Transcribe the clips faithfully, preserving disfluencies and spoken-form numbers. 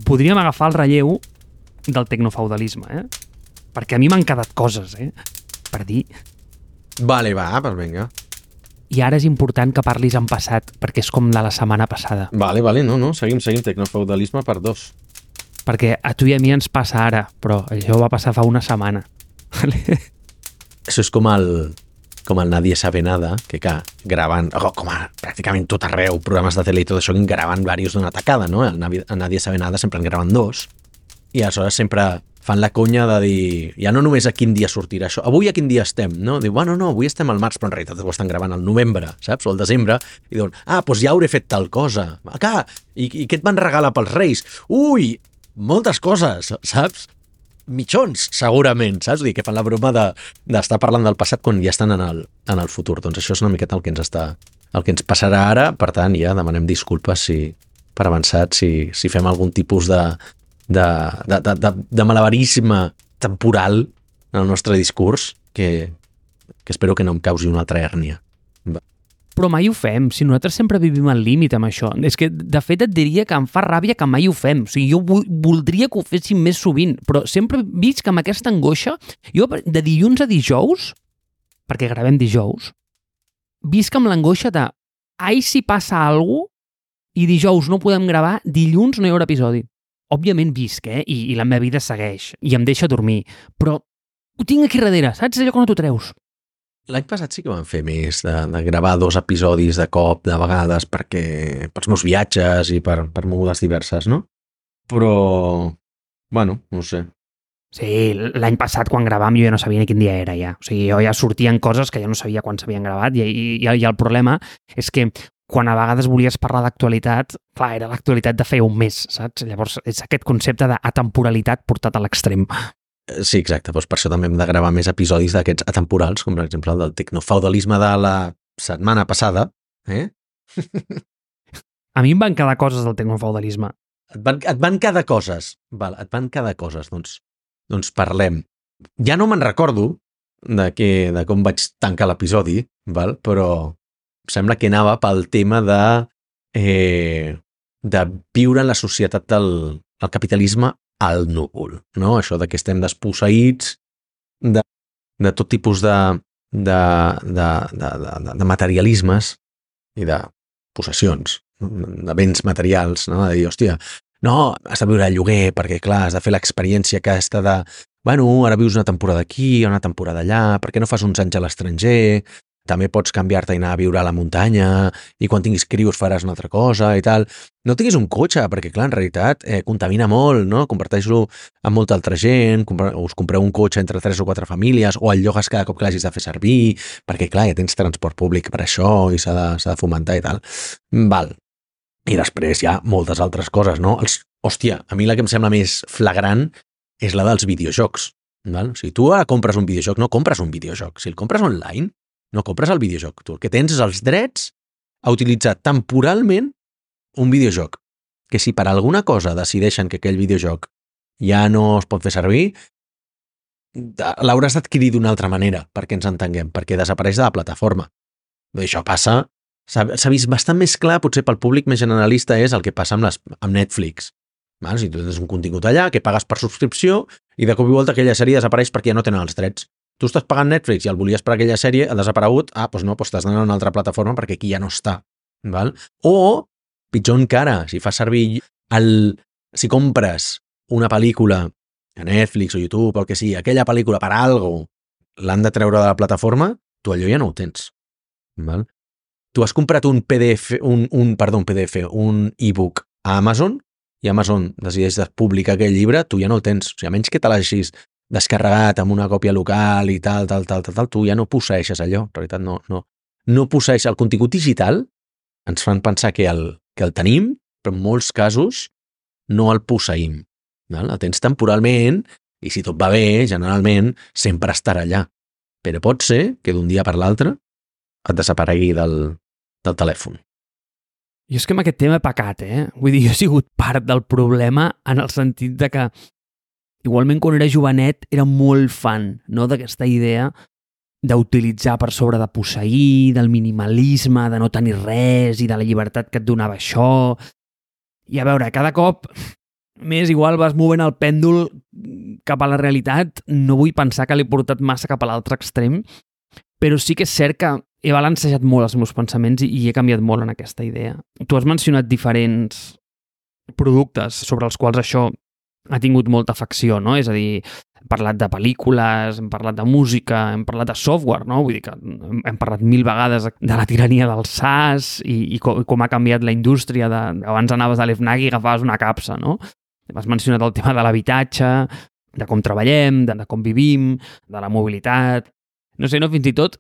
podríem agafar el relleu del tecnofeudalisme, eh? Perquè a mi m'han quedat coses, eh? Per dir. Vale, va, doncs vinga. I ara és important que parlis en passat, perquè és com de la setmana passada. Vale, vale, no, no, seguim, seguim, tecnofeudalisme per dos. Perquè a tu i a mi ens passa ara, però això va passar fa una setmana. Això és com el, com el Nadie sabe nada, que clar, graven, oh, com a pràcticament tot arreu, programes de tele i tot això, que graven diversos d'una tacada, no? El Nadie, el Nadie sabe nada sempre en graven dos, i aleshores sempre fan la conya de dir, ja no només a quin dia sortirà això, avui a quin dia estem, no? Diu, bueno, no, avui estem al març, però en realitat ho estan gravant al novembre, saps? O al desembre, i diuen, ah, doncs ja hauré fet tal cosa. Acá, i, i què et van regalar pels Reis? Ui, moltes coses, saps? Mitjons, segurament, saps? Vull dir, que fan la broma de, d'estar parlant del passat quan ja estan en el, en el futur. Doncs això és una miqueta el que ens està, el que ens passarà ara, per tant, ja demanem disculpes si, per avançat, si, si fem algun tipus de de, de, de, de, de malabarisme temporal en el nostre discurs que, que espero que no em causi una altra hèrnia. Va. Però mai ho fem, si nosaltres sempre vivim al límit amb això. És que, de fet, et diria que em fa ràbia que mai ho fem. O sigui, jo voldria que ho féssim més sovint, però sempre visc amb aquesta angoixa. Jo, de dilluns a dijous, perquè gravem dijous, visc amb l'angoixa de ai, si passa alguna cosa i dijous no podem gravar, dilluns no hi haurà episodi. Òbviament visc, eh? I, i la meva vida segueix, i em deixa dormir, però ho tinc aquí darrere, saps? Allò que no t'ho treus. L'any passat sí que vam fer més, de, de gravar dos episodis de cop, de vegades, perquè pels meus viatges i per, per mogudes diverses, no? Però, bueno, no sé. Sí, l'any passat quan gravàvem jo ja no sabia ni quin dia era ja. O sigui, jo ja sortien coses que jo no sabia quan s'havien gravat i, i, i el problema és que quan a vegades volies parlar d'actualitat, clar, era l'actualitat de feia un mes, saps? Llavors és aquest concepte d'atemporalitat portat a l'extrem. Sí, exacte, doncs per això també hem de gravar més episodis d'aquests atemporals, com per exemple el del tecnofeudalisme de la setmana passada. Eh? A mi em van quedar coses del tecnofeudalisme. Et van, et van quedar coses. Val, et van quedar coses, doncs, doncs parlem. Ja no me'n recordo de, que, de com vaig tancar l'episodi, val? Però sembla que anava pel tema de, eh, de viure en la societat del, del capitalisme al núvol, no? Això de que estem desposseïts de, de tot tipus de, de, de, de, de, de materialismes i de possessions, de béns materials, no? De dir, hòstia, no, has de viure al lloguer perquè, clar, has de fer l'experiència aquesta de, bueno, ara vius una temporada aquí, una temporada allà, per què no fas uns anys a l'estranger? També pots canviar-te i anar a viure a la muntanya i quan tinguis crios faràs una altra cosa i tal. No tinguis un cotxe, perquè clar, en realitat eh, contamina molt, no? Comparteix-lo amb molta altra gent, compre, us compreu un cotxe entre tres o quatre famílies o el llogues cada cop que l'hagis de fer servir, perquè clar, ja tens transport públic per això i s'ha de, s'ha de fomentar i tal. Val. I després hi ha moltes altres coses, no? Els, hòstia, a mi la que em sembla més flagrant és la dels videojocs. Val? O sigui, tu ara compres un videojoc, no compres un videojoc. Si el compres online, no compres el videojoc. Tu el que tens és els drets a utilitzar temporalment un videojoc. Que si per alguna cosa decideixen que aquell videojoc ja no es pot fer servir, l'hauràs d'adquirir d'una altra manera, perquè ens entenguem, perquè desapareix de la plataforma. I això passa, s'ha vist bastant més clar, potser pel públic més generalista, és el que passa amb, les, amb Netflix. Val? Si tu tens un contingut allà, que pagues per subscripció, i de cop i volta aquella sèrie desapareix perquè ja no tenen els drets. Tu estàs pagant Netflix i el volies per aquella sèrie, ha desaparegut, ah, doncs no, doncs t'has d'anar a una altra plataforma perquè aquí ja no està. Val? O, pitjor encara, si fas servir el... si compres una pel·lícula a Netflix o YouTube o el que sigui, aquella pel·lícula per algo l'han de treure de la plataforma, tu allò ja no ho tens. Val? Tu has comprat un P D F, un, un, perdó, un P D F, un e-book a Amazon i Amazon decideix de publicar aquell llibre, tu ja no el tens. O sigui, a menys que te l'hagis descarregat amb una còpia local i tal, tal, tal, tal, tal, tu ja no posseeixes allò. En realitat no, no, no posseeix el contingut digital. Ens fan pensar que el, que el tenim, però en molts casos no el posseïm. Val? El tens temporalment i si tot va bé, generalment, sempre estarà allà. Però pot ser que d'un dia per l'altre et desaparegui del, del telèfon. Jo és que amb aquest tema he pecat, eh? Vull dir, jo he sigut part del problema en el sentit de que igualment quan era jovenet era molt fan, no?, d'aquesta idea d'utilitzar per sobre de posseir, del minimalisme, de no tenir res i de la llibertat que et donava això. I a veure, cada cop més igual vas movent el pèndol cap a la realitat. No vull pensar que l'he portat massa cap a l'altre extrem, però sí que és cert que he balancejat molt els meus pensaments i, i he canviat molt en aquesta idea. Tu has mencionat diferents productes sobre els quals això ha tingut molta afecció, no? És a dir, hem parlat de pel·lícules, hem parlat de música, hem parlat de software, no? Vull dir que hem, hem parlat mil vegades de la tirania del SaaS i, i, com, i com ha canviat la indústria. De, abans anaves a l'Fnac i agafaves una capsa, no? Has mencionat el tema de l'habitatge, de com treballem, de, de com vivim, de la mobilitat. No sé, no, fins i tot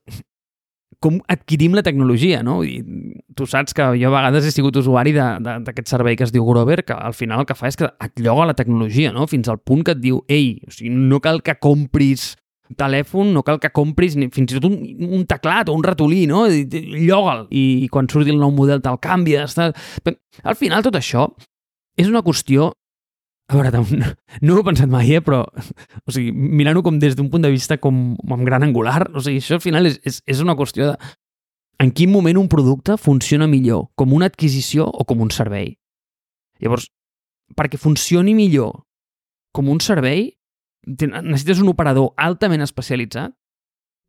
com adquirim la tecnologia, no? Vull dir, tu saps que jo a vegades he sigut usuari d'aquest servei que es diu Grover, que al final el que fa és que et lloga la tecnologia, no? Fins al punt que et diu, ei, o sigui, no cal que compris telèfon, no cal que compris ni, fins i tot un, un teclat o un ratolí, no? Lloga'l. I, i quan surti el nou model te'l canvia. Està... Al final tot això és una qüestió. A veure, no ho he pensat mai, eh? Però o sigui, mirant-ho com des d'un punt de vista com amb gran angular, o sigui, això al final és, és, és una qüestió de en quin moment un producte funciona millor, com una adquisició o com un servei. Llavors, perquè funcioni millor com un servei, necessites un operador altament especialitzat,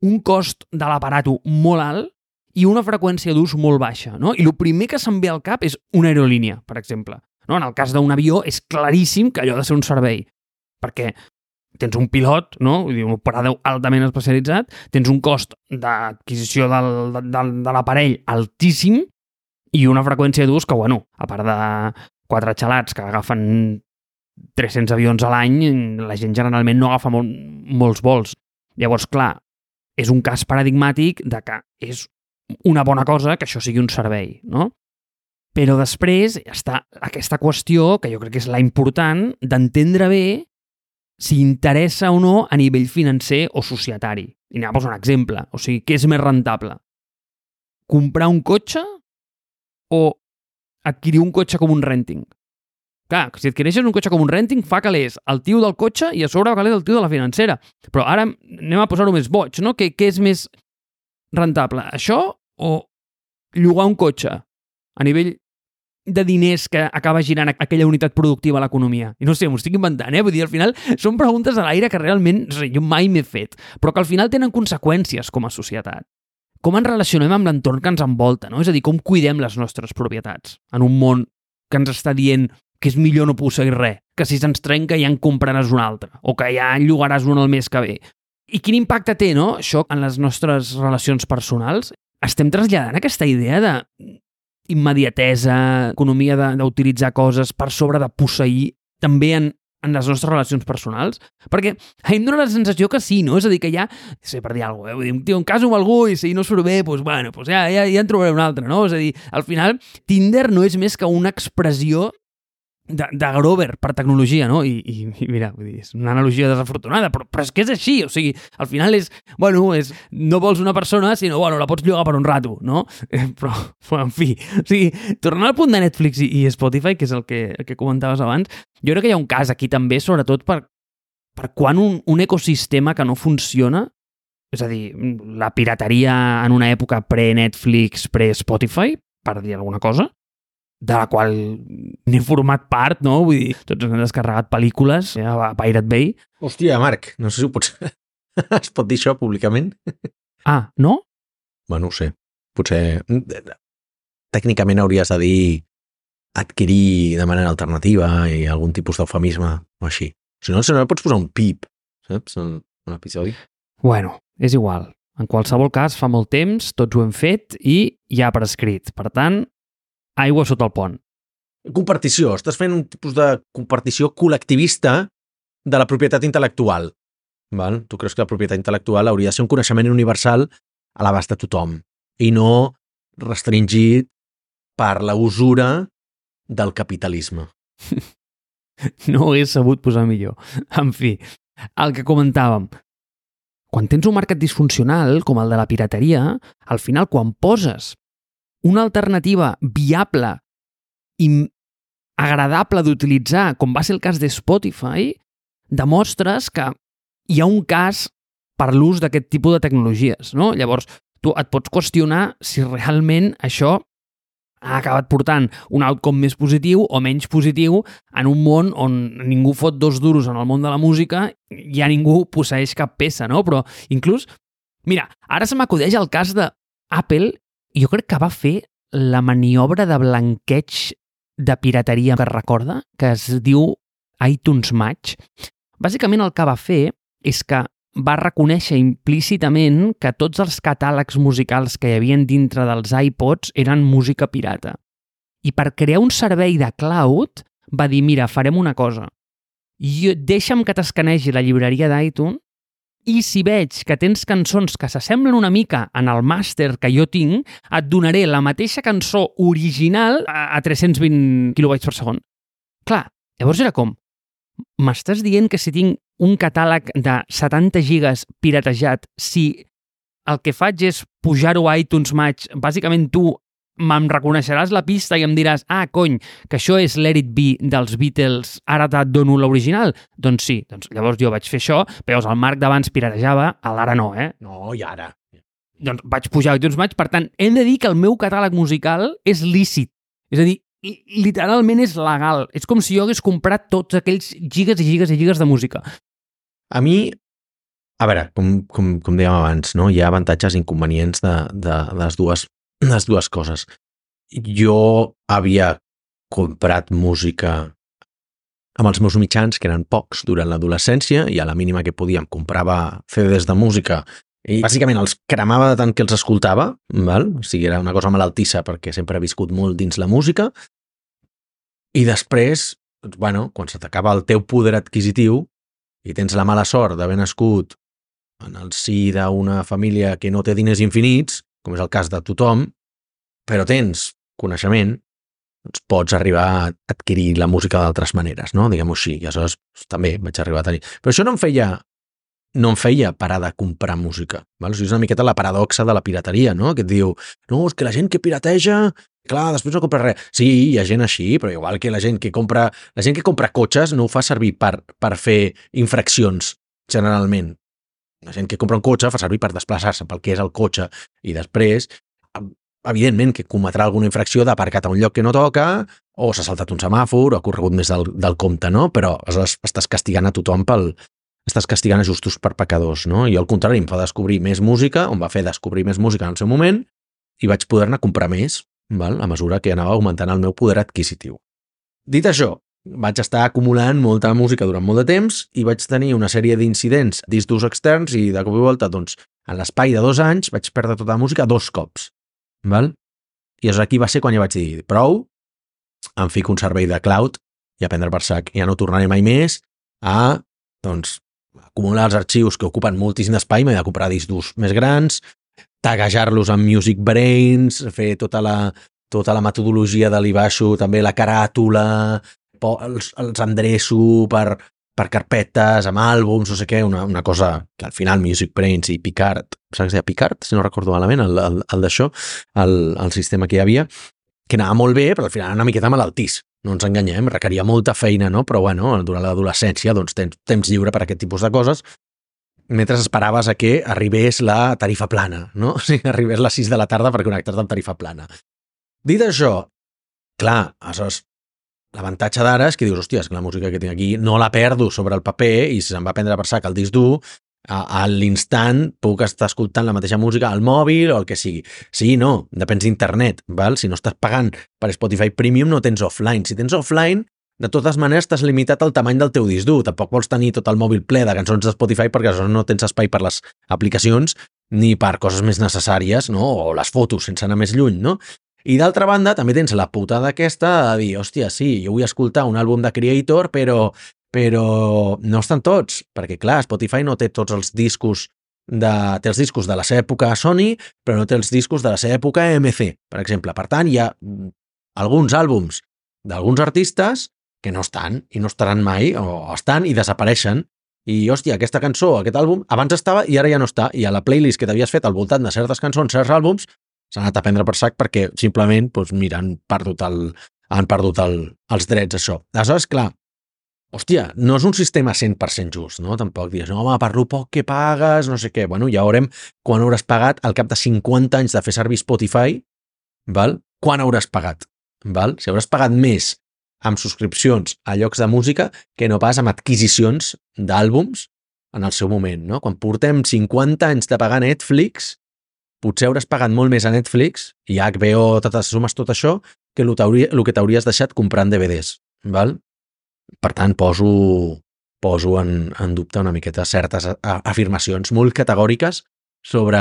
un cost de l'aparato molt alt i una freqüència d'ús molt baixa, no? I el primer que se'm ve al cap és una aerolínia, per exemple. No, en el cas d'un avió és claríssim que allò ha de ser un servei, perquè tens un pilot, no? Vull dir, un operador altament especialitzat, tens un cost d'adquisició del, del, de l'aparell altíssim i una freqüència d'ús que, bueno, a part de quatre xalats que agafen tres-cents avions a l'any, la gent generalment no agafa molt, molts vols. Llavors, clar, és un cas paradigmàtic de que és una bona cosa que això sigui un servei, no? Però després està aquesta qüestió, que jo crec que és la important, d'entendre bé si interessa o no a nivell financer o societari. I anem a posar un exemple. O sigui, què és més rentable? Comprar un cotxe o adquirir un cotxe com un renting? Clar, si adquireixes un cotxe com un renting, fa calés el tio del cotxe i a sobre fa calés el tio de la financera. Però ara anem a posar-ho més boig, no? Què, què és més rentable? Això o llogar un cotxe a nivell de diners que acaba girant aquella unitat productiva a l'economia? I no sé, m'ho estic inventant, eh? Vull dir, al final són preguntes a l'aire que realment no sé, jo mai m'he fet, però que al final tenen conseqüències com a societat. Com ens relacionem amb l'entorn que ens envolta, no? És a dir, com cuidem les nostres propietats en un món que ens està dient que és millor no posseir res, que si se'ns trenca ja en compraràs un altre, o que ja en llogaràs un el mes que ve. I quin impacte té, no?, això en les nostres relacions personals? Estem traslladant aquesta idea de immediatesa, economia d'utilitzar coses per sobre de posseir també en, en les nostres relacions personals? Perquè a mi em dóna la sensació que sí, no? És a dir, que ja, no sé, per dir alguna cosa, eh? Vull dir, tio, em caso amb algú i si no surt bé, doncs, bueno, doncs ja, ja, ja en trobaré un altre, no? És a dir, al final, Tinder no és més que una expressió de, de Grover per tecnologia, no? I, i, i mira, vull dir, és una analogia desafortunada, però, però és que és així, o sigui, al final és, bueno, és, no vols una persona, sinó, bueno, la pots llogar per un rato, no? Eh, però, però, en fi, o sigui, tornant al punt de Netflix i, i Spotify, que és el que, el que comentaves abans, jo crec que hi ha un cas aquí també, sobretot per, per quan un, un ecosistema que no funciona, és a dir, la pirateria en una època pre-Netflix, pre-Spotify, per dir alguna cosa, de la qual n'he format part, no? Vull dir, tots hem descarregat pel·lícules ja, a Pirate Bay. Hòstia, Marc, no sé si ho pots... es pot dir això públicament? Ah, no? Bueno, no sé. Potser... Tècnicament hauries de dir adquirir de manera alternativa i algun tipus d'eufemisme o així. Si no, si no pots posar un pip, saps? En un episodi. Bueno, és igual. En qualsevol cas, fa molt temps, tots ho hem fet i ja per escrit. Per tant, aigua sota el pont. Compartició. Estàs fent un tipus de compartició col·lectivista de la propietat intel·lectual. Val? Tu creus que la propietat intel·lectual hauria de ser un coneixement universal a l'abast de tothom i no restringit per la usura del capitalisme. No ho hagués sabut posar millor. En fi, el que comentàvem. Quan tens un mercat disfuncional, com el de la pirateria, al final, quan poses una alternativa viable i agradable d'utilitzar, com va ser el cas de Spotify, demostres que hi ha un cas per l'ús d'aquest tipus de tecnologies, no? Llavors, tu et pots qüestionar si realment això ha acabat portant un outcome més positiu o menys positiu en un món on ningú fot dos duros en el món de la música i ja ningú posseeix cap peça, no? Però inclús, mira, ara se m'acudeix el cas d'Apple, jo crec que va fer la maniobra de blanqueig de pirateria que es recorda, que es diu iTunes Match. Bàsicament el que va fer és que va reconèixer implícitament que tots els catàlegs musicals que hi havia dintre dels iPods eren música pirata. I per crear un servei de cloud va dir, mira, farem una cosa. Jo, deixa'm que t'escanegi la llibreria d'iTunes i si veig que tens cançons que s'assemblen una mica en el màster que jo tinc, et donaré la mateixa cançó original a tres-cents vint quilobytes per segon. Clar, llavors era com, m'estàs dient que si tinc un catàleg de setanta gigas piratejat, si el que faig és pujar-ho a iTunes Match, bàsicament tu me'm reconeixeràs la pista i em diràs, ah, cony, que això és Let It Be dels Beatles, ara et dono l'original? Doncs sí, doncs llavors jo vaig fer això, però el Marc d'abans piratejava, l'ara no, eh? No, i ara? Doncs vaig pujar a iTunes Match, per tant, hem de dir que el meu catàleg musical és lícit. És a dir, literalment és legal. És com si jo hagués comprat tots aquells gigas i gigas i gigas de música. A mi, a veure, com, com, com dèiem abans, no? Hi ha avantatges i inconvenients de, de, de les, dues, les dues coses. Jo havia comprat música amb els meus mitjans, que eren pocs durant l'adolescència, i a la mínima que podíem comprava C Ds de música i bàsicament els cremava de tant que els escoltava, val? O sigui, era una cosa malaltissa perquè sempre he viscut molt dins la música. I després, doncs, bueno, quan se t'acaba el teu poder adquisitiu i tens la mala sort d'haver nascut en el si d'una família que no té diners infinits, com és el cas de tothom, però tens coneixement, doncs pots arribar a adquirir la música d'altres maneres, no? Diguem-ho així. I aleshores també vaig arribar a tenir. Però això no em feia, no em feia parar de comprar música. Val? O sigui, és una miqueta la paradoxa de la pirateria, no? Que et diu, no, és que la gent que pirateja, clar, després no compra res. Sí, hi ha gent així, però igual que la gent que compra, la gent que compra cotxes no ho fa servir per, per fer infraccions, generalment. La gent que compra un cotxe fa servir per desplaçar-se pel que és el cotxe i després, evidentment, que cometrà alguna infracció d'aparcat a un lloc que no toca o s'ha saltat un semàfor o ha corregut més del, del compte, no? Però aleshores estàs castigant a tothom pel... estàs castigant a justos per pecadors, no? I al contrari, em fa descobrir més música, em va fer descobrir més música en el seu moment i vaig poder-ne comprar més, val? A mesura que anava augmentant el meu poder adquisitiu. Dit això, vaig estar acumulant molta música durant molt de temps i vaig tenir una sèrie d'incidents, discs d'ús externs i de cop i volta, doncs, en l'espai de dos anys vaig perdre tota la música dos cops, val? I llavors aquí va ser quan ja vaig dir, prou, em fico un servei de cloud i a prendre per sac. Ja no tornaré mai més a, doncs, acumular els arxius que ocupen moltíssim d'espai, m'he de comprar discs durs més grans, taguejar-los amb Music Brains, fer tota la, tota la metodologia de l'I baixo, també la caràtula, els, els endreço per, per carpetes, amb àlbums, no sé què, una, una cosa que al final Music Brains i Picard, saps que es deia Picard, si no recordo malament, el, el, el d'això, el, el sistema que hi havia, que anava molt bé, però al final una miqueta malaltís. No ens enganyem, requeria molta feina, no? Però bueno, durant l'adolescència doncs, tens temps lliure per a aquest tipus de coses, mentre esperaves a que arribés la tarifa plana, no? O sigui, arribés a les sis de la tarda per connectar-te amb tarifa plana. Dit això, clar, aleshores, l'avantatge d'ara és que dius, hòstia, és que la música que tinc aquí no la perdo sobre el paper i si se'm va prendre per sac el disc dur, a, a l'instant puc estar escoltant la mateixa música al mòbil o el que sigui. Sí, no, depèn d'internet, val? Si no estàs pagant per Spotify Premium no tens offline. Si tens offline, de totes maneres estàs limitat al tamany del teu disc dur. Tampoc vols tenir tot el mòbil ple de cançons de Spotify perquè no tens espai per les aplicacions ni per coses més necessàries, no? O les fotos, sense anar més lluny, no? I d'altra banda, també tens la putada aquesta de dir, hòstia, sí, jo vull escoltar un àlbum de Creator, però però no estan tots, perquè clar, Spotify no té tots els discos de, té els discos de la seva època a Sony, però no té els discos de la seva època a M C, per exemple. Per tant, hi ha alguns àlbums d'alguns artistes que no estan i no estaran mai, o estan i desapareixen. I, hòstia, aquesta cançó, aquest àlbum, abans estava i ara ja no està. I a la playlist que t'havies fet al voltant de certes cançons, certs àlbums, s'han anat a prendre per sac perquè simplement, doncs, mira, han perdut, el, han perdut el, els drets, això. Aleshores, clar, hòstia, no és un sistema cent per cent just, no? Tampoc dius, no, home, per lo poc que pagues, no sé què. Bueno, ja veurem quan hauràs pagat al cap de cinquanta anys de fer servir Spotify, val? quan hauràs pagat, val? Si hauràs pagat més amb subscripcions a llocs de música que no pas amb adquisicions d'àlbums en el seu moment, no? Quan portem cinquanta anys de pagar Netflix, potser hauràs pagat molt més a Netflix i a H B O, totes sumes tot això, que el que t'hauries deixat comprant D V Ds, val? Per tant, poso, poso en, en dubte una miqueta certes afirmacions molt categòriques sobre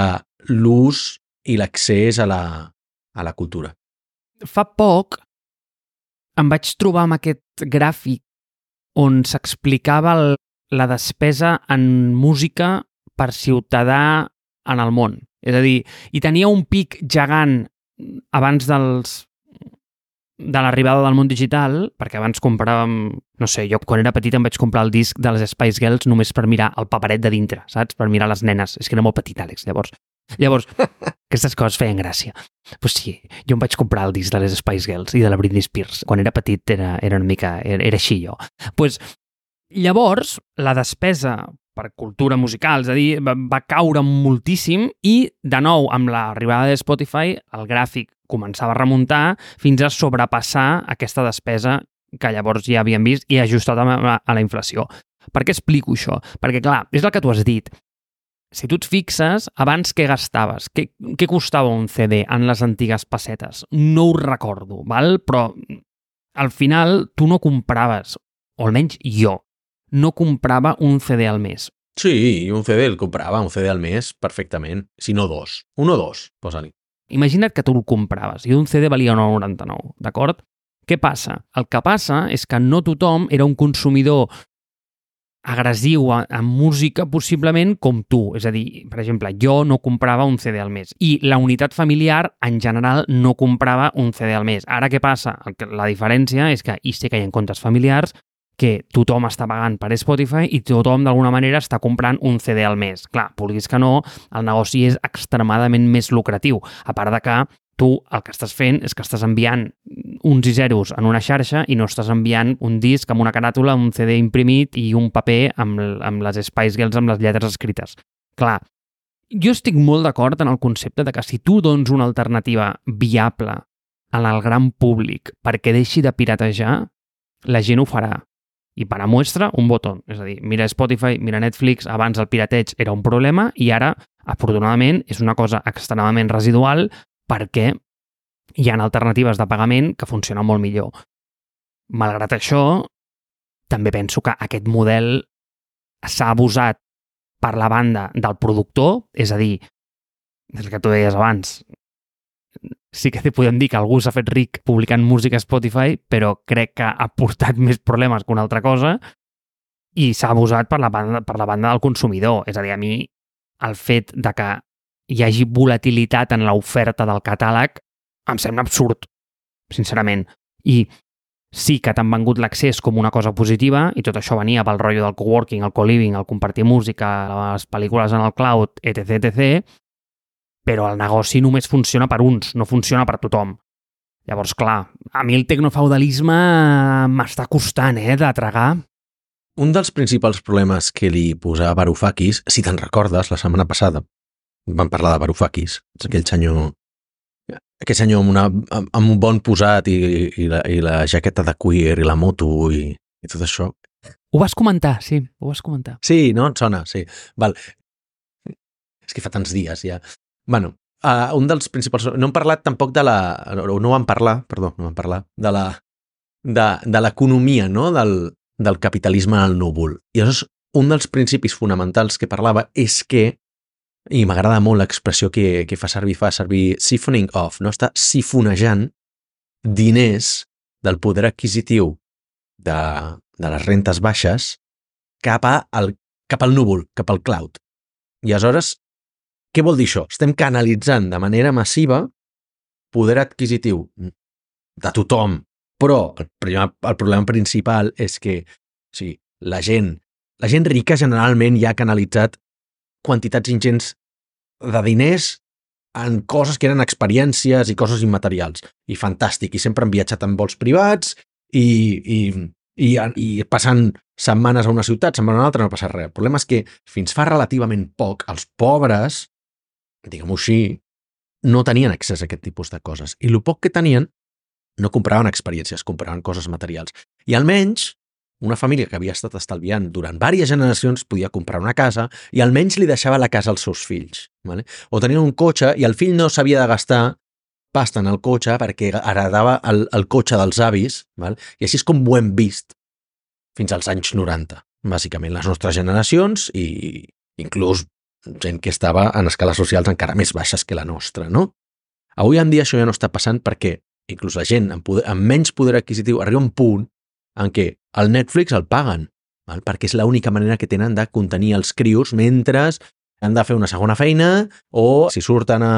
l'ús i l'accés a la, a la cultura. Fa poc em vaig trobar amb aquest gràfic on s'explicava el, la despesa en música per ciutadà en el món. És a dir, i tenia un pic gegant abans dels de l'arribada del món digital, perquè abans compràvem, no sé, jo quan era petit em vaig comprar el disc de les Spice Girls només per mirar el paperet de dintre, saps? Per mirar les nenes. És que era molt petit, Àlex, llavors. Llavors, aquestes coses feien gràcia. Pues sí, jo em vaig comprar el disc de les Spice Girls i de la Britney Spears. Quan era petit era, era una mica... Era, era així, jo. Pues, llavors, la despesa per cultura musical, és a dir, va, va caure moltíssim i, de nou, amb l'arribada de Spotify, el gràfic començava a remuntar fins a sobrepassar aquesta despesa que llavors ja havíem vist i ajustat a la, a la inflació. Per què explico això? Perquè, clar, és el que tu has dit. Si tu et fixes, abans què gastaves? Què, què costava un C D en les antigues pessetes? No ho recordo, val? Però al final tu no compraves, o almenys jo, no comprava un C D al mes. Sí, un C D el comprava, un C D al mes, perfectament. Si no dos. Un o dos, posa-li. Imagina't que tu el compraves i un C D valia nou coma noranta-nou, d'acord? Què passa? El que passa és que no tothom era un consumidor agressiu en música possiblement com tu. És a dir, per exemple, jo no comprava un C D al mes i la unitat familiar en general no comprava un C D al mes. Ara què passa? La diferència és que hi sé que hi ha comptes familiars que tothom està pagant per Spotify i tothom d'alguna manera està comprant un C D al mes. Clar, vulguis que no, el negoci és extremadament més lucratiu, a part de que tu el que estàs fent és que estàs enviant uns i zeros en una xarxa i no estàs enviant un disc amb una caràtula, un C D imprimit i un paper amb, amb les Spice Girls amb les lletres escrites. Clar, jo estic molt d'acord en el concepte de que si tu dones una alternativa viable al gran públic perquè deixi de piratejar, la gent ho farà. I per a muestra, un botó. És a dir, mira Spotify, mira Netflix, abans el pirateig era un problema i ara, afortunadament, és una cosa extremadament residual perquè hi ha alternatives de pagament que funcionen molt millor. Malgrat això, també penso que aquest model s'ha abusat per la banda del productor, és a dir, el que tu deies abans, sí que podem dir que algú s'ha fet ric publicant música a Spotify, però crec que ha portat més problemes que una altra cosa i s'ha abusat per la banda, per la banda del consumidor. És a dir, a mi el fet de que hi hagi volatilitat en l'oferta del catàleg em sembla absurd, sincerament. I sí que t'han vengut l'accés com una cosa positiva i tot això venia pel rotllo del coworking, el co-living, el compartir música, les pel·lícules en el cloud, etc etcètera, però el negoci només funciona per uns, no funciona per tothom. Llavors, clar, a mi el tecnofeudalisme m'està costant, eh, de tragar. Un dels principals problemes que li posava Varoufakis, si te'n recordes, la setmana passada, vam parlar de Varoufakis, aquell senyor, aquell senyor amb, una, amb un bon posat i, i, la, i la jaqueta de cuir i la moto i, i tot això. Ho vas comentar, sí, ho vas comentar. Sí, no? Et sona, sí. Val. És que fa tants dies ja. Bueno, uh, un dels principals... No hem parlat tampoc de la... No, no vam parlar, perdó, no vam parlar de la de, de l'economia, no? Del, del capitalisme al núvol. I llavors, un dels principis fonamentals que parlava és que, i m'agrada molt l'expressió que, que fa servir, fa servir siphoning off, no? Està sifonejant diners del poder adquisitiu de, de les rentes baixes cap, a el, cap al núvol, cap al cloud. I aleshores, què vol dir això? Estem canalitzant de manera massiva poder adquisitiu de tothom, però el problema, el problema principal és que o sigui, la gent, la gent rica generalment ja ha canalitzat quantitats ingents de diners en coses que eren experiències i coses immaterials. I fantàstic, i sempre han viatjat en vols privats i, i, i, i passant setmanes a una ciutat, se'n van a una altra, no passa res. El problema és que fins fa relativament poc els pobres, diguem-ho així, no tenien accés a aquest tipus de coses. I el poc que tenien no compraven experiències, compraven coses materials. I almenys una família que havia estat estalviant durant diverses generacions podia comprar una casa i almenys li deixava la casa als seus fills. Vale? O tenien un cotxe i el fill no s'havia de gastar pasta en el cotxe perquè heredava el, el cotxe dels avis, val? I així és com ho hem vist fins als anys noranta, bàsicament, les nostres generacions i inclús gent que estava en escales socials encara més baixes que la nostra, no? Avui en dia això ja no està passant perquè inclús la gent amb, poder, amb menys poder adquisitiu arriba un punt en què el Netflix el paguen, val? Perquè és l'única manera que tenen de contenir els crios mentre han de fer una segona feina o si surten a,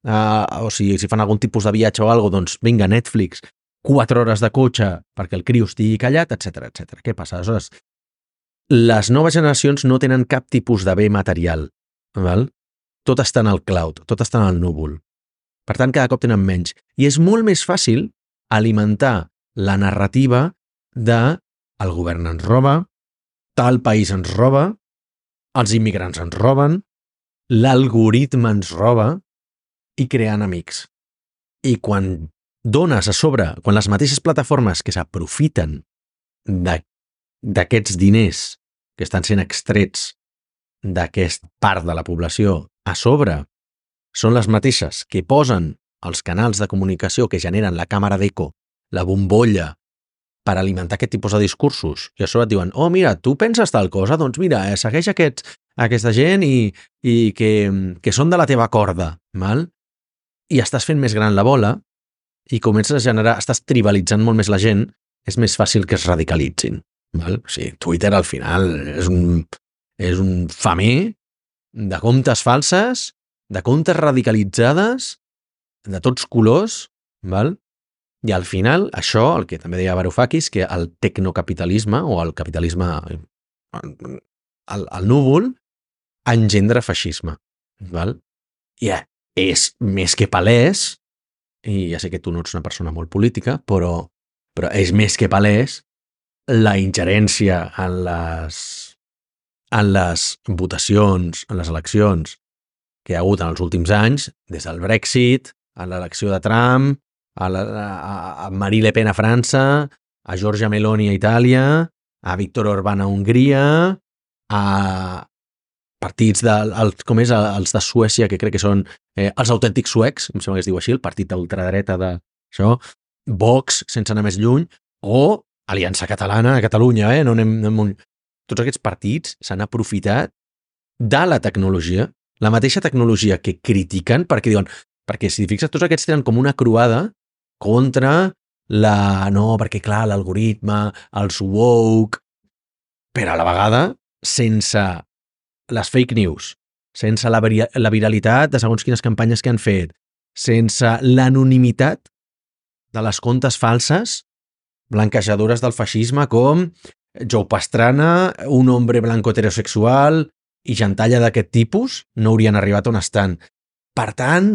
a o si, si fan algun tipus de viatge o alguna cosa, doncs vinga, Netflix, quatre hores de cotxe perquè el crio estigui callat, etcètera, etcètera. Què passa? Aleshores, les noves generacions no tenen cap tipus de bé material, val? Tot està en el cloud, tot està en el núvol. Per tant, cada cop tenen menys. I és molt més fàcil alimentar la narrativa de el govern ens roba, tal país ens roba, els immigrants ens roben, l'algoritme ens roba i crear enemics. I quan dones a sobre, quan les mateixes plataformes que s'aprofiten d'aquests diners que estan sent extrets d'aquesta part de la població a sobre, són les mateixes que posen els canals de comunicació que generen la càmera d'eco, la bombolla, per alimentar aquest tipus de discursos. I a sobre et diuen, oh, mira, tu penses tal cosa? Doncs mira, eh, segueix aquests, aquesta gent i, i que, que són de la teva corda, val? I estàs fent més gran la bola i comences a generar, estàs tribalitzant molt més la gent, és més fàcil que es radicalitzin. Val? O sigui, Twitter al final és un, és un famer de comptes falses, de comptes radicalitzades, de tots colors, val? I al final, això, el que també deia Varoufakis, que el tecnocapitalisme o el capitalisme al, al núvol engendra feixisme. Val? I és més que palès, i ja sé que tu no ets una persona molt política, però, però és més que palès la ingerència en les, en les votacions, en les eleccions que hi ha hagut en els últims anys, des del Brexit, a l'elecció de Trump, a, la, a, a Marie Le Pen a França, a Giorgia Meloni a Itàlia, a Viktor Orbán a Hongria, a partits de, el, com és, els de Suècia, que crec que són eh, els autèntics suecs, em sembla que es diu així, el partit d'ultradreta d'això, Vox, sense anar més lluny, o Aliança Catalana a Catalunya, eh? no anem, anem... Tots aquests partits s'han aprofitat de la tecnologia, la mateixa tecnologia que critiquen, perquè diuen, perquè si fixes, tots aquests tenen com una croada contra la... No, perquè clar, l'algoritme, els woke, però a la vegada sense les fake news, sense la, la viralitat de segons quines campanyes que han fet, sense l'anonimitat de les comptes falses, blanquejadores del feixisme com Joe Pastrana, un hombre blanco heterosexual i gentalla d'aquest tipus, no haurien arribat on estan. Per tant,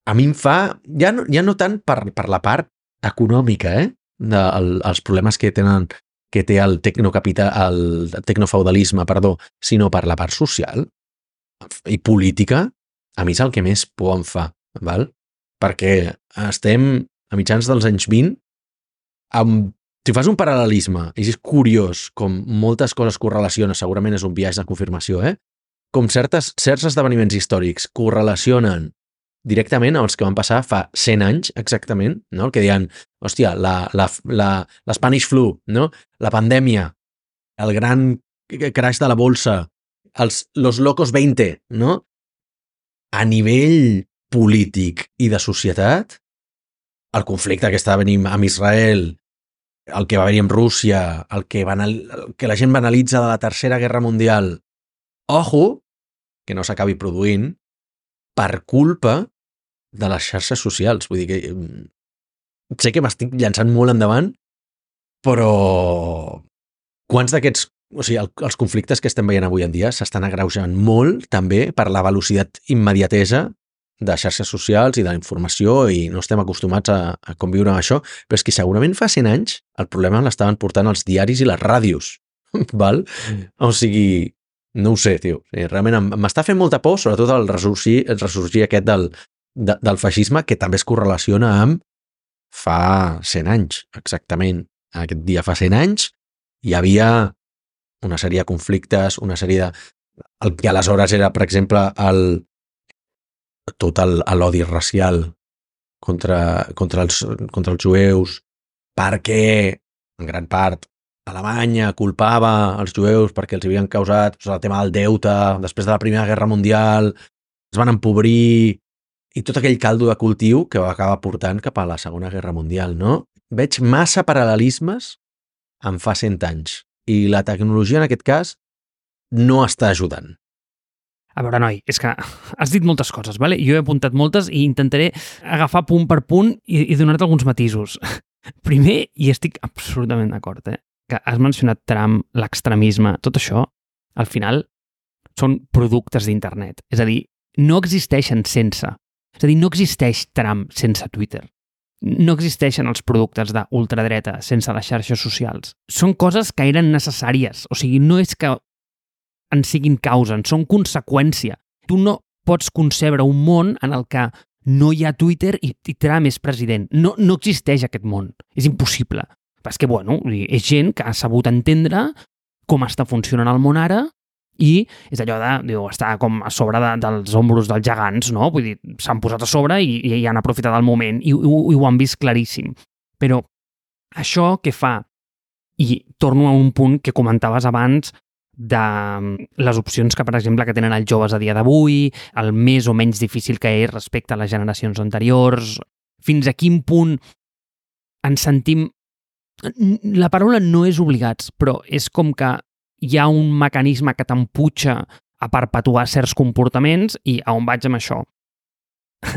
a mi em fa, ja no, ja no tant per, per la part econòmica, eh? De, el, els problemes que tenen que té el tecnocapital, el tecnofeudalisme, perdó, sinó per la part social i política, a mi és el que més por em fa, val? Perquè estem a mitjans dels anys vint, amb, si fas un paral·lelisme, i és curiós com moltes coses correlacionen, segurament és un viatge de confirmació, eh? Com certes, certs esdeveniments històrics correlacionen directament amb els que van passar fa cent anys, exactament, no? El que deien, hòstia, la, la, la, la Spanish flu, no? La pandèmia, el gran crash de la bolsa, els los locos veinte, no? A nivell polític i de societat, el conflicte que està venint amb Israel, el que va haver-hi amb Rússia, el que, banal, el que la gent banalitza de la Tercera Guerra Mundial, ojo, que no s'acabi produint, per culpa de les xarxes socials. Vull dir que sé que m'estic llançant molt endavant, però quants d'aquests, o sigui, el, els conflictes que estem veient avui en dia s'estan agreujant molt també per la velocitat immediatesa de xarxes socials i de la informació i no estem acostumats a, a conviure amb això, però és que segurament fa cent anys el problema l'estaven portant els diaris i les ràdios, val? O sigui, no ho sé, tio. Realment m'està fent molta por, sobretot el ressorgir, el ressorgir aquest del, de, del feixisme que també es correlaciona amb fa cent anys, exactament. Aquest dia fa cent anys hi havia una sèrie de conflictes, una sèrie de... El que aleshores era, per exemple, el... tot l'odi racial contra, contra, els, contra els jueus, perquè, en gran part, Alemanya culpava els jueus perquè els havien causat doncs, el tema del deute, després de la Primera Guerra Mundial, es van empobrir, i tot aquell caldo de cultiu que va acabar portant cap a la Segona Guerra Mundial, no? Veig massa paral·lelismes en fa cent anys, i la tecnologia, en aquest cas, no està ajudant. A veure, noi, és que has dit moltes coses, vale? Jo he apuntat moltes i intentaré agafar punt per punt i, i donar-te alguns matisos. Primer, i estic absolutament d'acord, eh? Que has mencionat Trump, l'extremisme, tot això, al final, són productes d'internet. És a dir, no existeixen sense. És a dir, no existeix Trump sense Twitter. No existeixen els productes d'ultradreta sense les xarxes socials. Són coses que eren necessàries. O sigui, no és que en siguin causa, són conseqüència. Tu no pots concebre un món en el que no hi ha Twitter i, i Trump és president. No, no existeix aquest món. És impossible. Però és que, bueno, és gent que ha sabut entendre com està funcionant el món ara i és allò de, diu, està com a sobre de, dels ombros dels gegants, no? Vull dir, s'han posat a sobre i, i han aprofitat el moment i, i, i ho han vist claríssim. Però això què fa? I torno a un punt que comentaves abans de les opcions que, per exemple, que tenen els joves a dia d'avui, el més o menys difícil que és respecte a les generacions anteriors, fins a quin punt ens sentim... La paraula no és obligats, però és com que hi ha un mecanisme que t'emputxa a perpetuar certs comportaments i a on vaig amb això.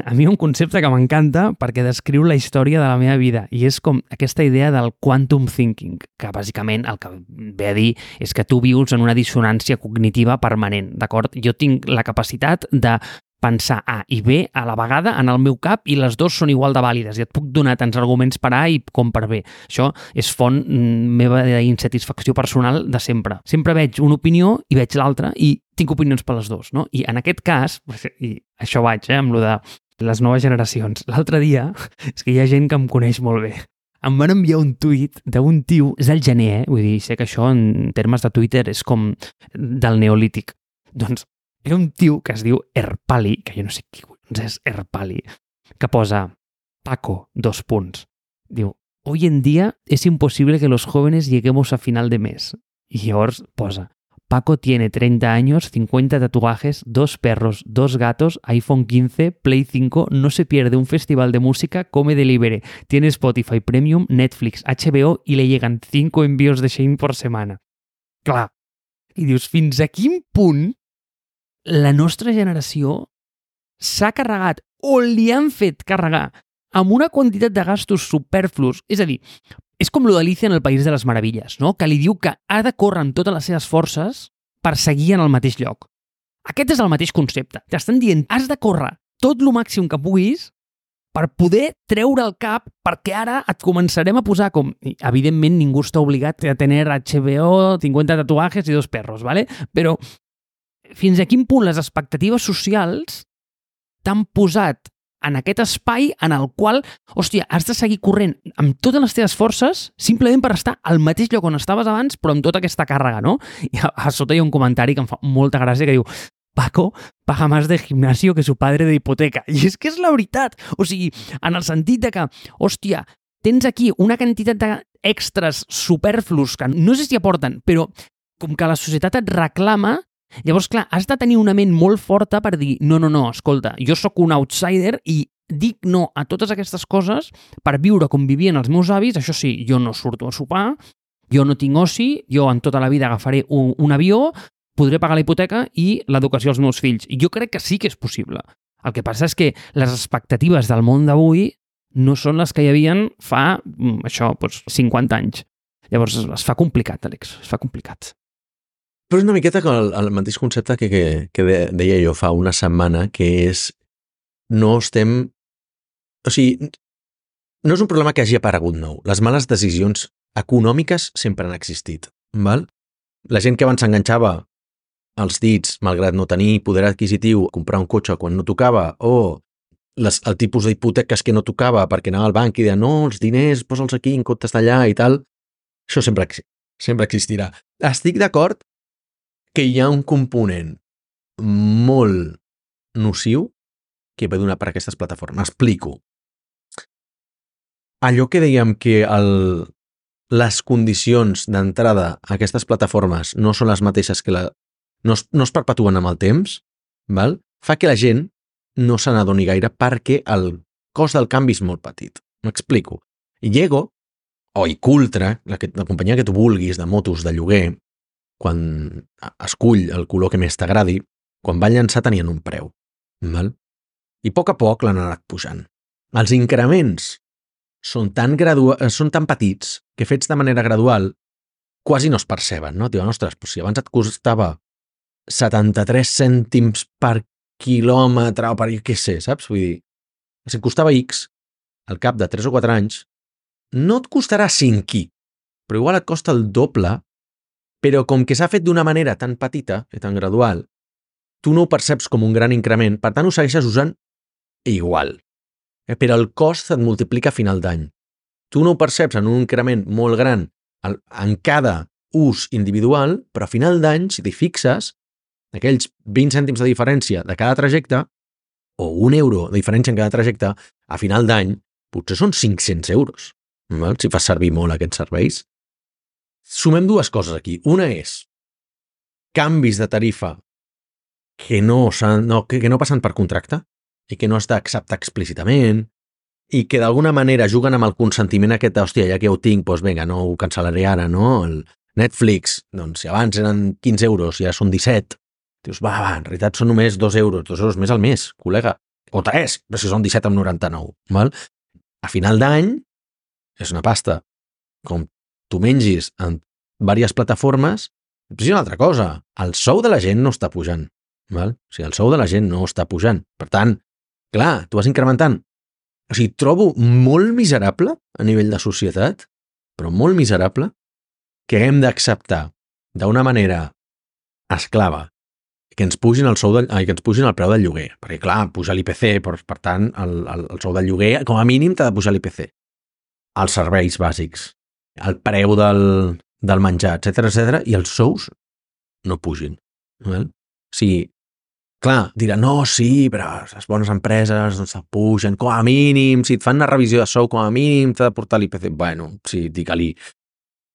A mi hi ha un concepte que m'encanta perquè descriu la història de la meva vida i és com aquesta idea del quantum thinking, que bàsicament el que ve a dir és que tu vius en una dissonància cognitiva permanent, d'acord? Jo tinc la capacitat de pensar A i B a la vegada en el meu cap i les dues són igual de vàlides i et puc donar tants arguments per A i com per B. Això és font meva d'insatisfacció personal de sempre. Sempre veig una opinió i veig l'altra i tinc opinions per les dues, no? I en aquest cas, i això vaig, eh, amb lo de les noves generacions, l'altre dia, és que hi ha gent que em coneix molt bé, em van enviar un tuit d'un tio, és el gener, eh? Vull dir, sé que això en termes de Twitter és com del neolític. Doncs era un tio que es diu Erpali, que jo no sé qui és Erpali, que posa Paco, dos punts. Diu, hoy en día es imposible que los jóvenes lleguemos a final de mes. Y llavors posa, Paco tiene treinta años, cincuenta tatuajes, dos perros, dos gatos, iPhone quince, Play cinco, no se pierde un festival de música, come delivery, tiene Spotify Premium, Netflix, H B O y le llegan cinco envíos de Shein por semana. Clar. I dius, fins a quin punt la nostra generació s'ha carregat o li han fet carregar amb una quantitat de gastos superflus. És a dir, és com lo d'Alicia en el País de les Meravilles, no? Que li diu que ha de córrer amb totes les seves forces per seguir en el mateix lloc. Aquest és el mateix concepte. T'estan dient, has de córrer tot lo màxim que puguis per poder treure el cap perquè ara et començarem a posar com... Evidentment, ningú està obligat a tenir H B O, cincuenta tatuajes i dos perros, ¿vale? Però fins a quin punt les expectatives socials t'han posat en aquest espai en el qual, hòstia, has de seguir corrent amb totes les teves forces simplement per estar al mateix lloc on estaves abans, però amb tota aquesta càrrega, no? I a, a sota hi ha un comentari que em fa molta gràcia que diu Paco paga más de gimnasio que su padre de hipoteca. I és que és la veritat. O sigui, en el sentit de que, hòstia, tens aquí una quantitat d'extras superflus que no sé si aporten, però com que la societat et reclama. Llavors, clar, has de tenir una ment molt forta per dir no, no, no, escolta, jo sóc un outsider i dic no a totes aquestes coses per viure com vivien els meus avis. Això sí, jo no surto a sopar, jo no tinc oci, jo en tota la vida agafaré un, un avió, podré pagar la hipoteca i l'educació als meus fills. I jo crec que sí que és possible. El que passa és que les expectatives del món d'avui no són les que hi havien fa, això, doncs, cinquanta anys. Llavors es fa complicat, Àlex, es fa complicat. Però és una miqueta com el, el mateix concepte que, que, que deia jo fa una setmana, que és no estem... O sigui, no és un problema que hagi aparegut nou. Les males decisions econòmiques sempre han existit, val? La gent que abans s'enganxava els dits, malgrat no tenir poder adquisitiu, comprar un cotxe quan no tocava, o les, el tipus d'hipoteques que no tocava perquè anava al banc i deia no, els diners, posa'ls aquí en comptes d'allà i tal, això sempre, sempre existirà. Estic d'acord que hi ha un component molt nociu que ve donat per aquestes plataformes. Explico. Allò que dèiem que el, les condicions d'entrada a aquestes plataformes no són les mateixes que la... no es, no es perpetuen amb el temps, val? Fa que la gent no se n'adoni gaire perquè el cost del canvi és molt petit. M'explico. Llego, o Icultra, la, que, la companyia que tu vulguis de motos de lloguer, quan escull el color que més t'agradi, quan van llançar tenien un preu. Val? I a poc a poc l'han anat pujant. Els increments són tan, gradua... són tan petits que fets de manera gradual quasi no es perceben, no? Diuen, ostres, però si abans et costava setanta-tres cèntims per quilòmetre o per què sé, saps? Vull dir, si et costava X, al cap de tres o quatre anys, no et costarà cinc i, però igual et costa el doble, però com que s'ha fet d'una manera tan petita i tan gradual, tu no ho perceps com un gran increment, per tant ho segueixes usant igual. Però el cost et multiplica a final d'any. Tu no ho perceps en un increment molt gran en cada ús individual, però a final d'any, si t'hi fixes, aquells vint cèntims de diferència de cada trajecte, o un euro de diferència en cada trajecte, a final d'any potser són cinc-cents euros, val? Si fas servir molt aquests serveis. Sumem dues coses aquí. Una és canvis de tarifa que no, no, que, que no passen per contracte i que no has d'acceptar explícitament i que d'alguna manera juguen amb el consentiment aquest de, hòstia, ja que ho tinc, doncs vinga, no ho cancel·laré ara, no? El Netflix, doncs si abans eren quinze euros i ara són disset, dius, va, va, en realitat són només dos euros, dos euros més al mes, col·lega, o tres, però si són disset amb noranta-nou, val? A final d'any és una pasta. Com tu mengis en diverses plataformes, és una altra cosa, el sou de la gent no està pujant, val? O sigui, el sou de la gent no està pujant. Per tant, clar, tu vas incrementant. O sigui, trobo molt miserable a nivell de societat, però molt miserable, que haguem d'acceptar d'una manera esclava que ens pugin el sou de, ai, que ens pugin el preu del lloguer, perquè clar, puja l'I P C, per, per tant, el, el, el sou del lloguer, com a mínim, t'ha de pujar l'I P C. Els serveis bàsics, el preu del, del menjar, etcètera, etcètera, i els sous no pugin. Val? O sigui, clar, dirà, no, sí, però les bones empreses no se pugen, com a mínim, si et fan una revisió de sou, com a mínim t'ha de portar l'I P C. Bueno, sí, digue-li,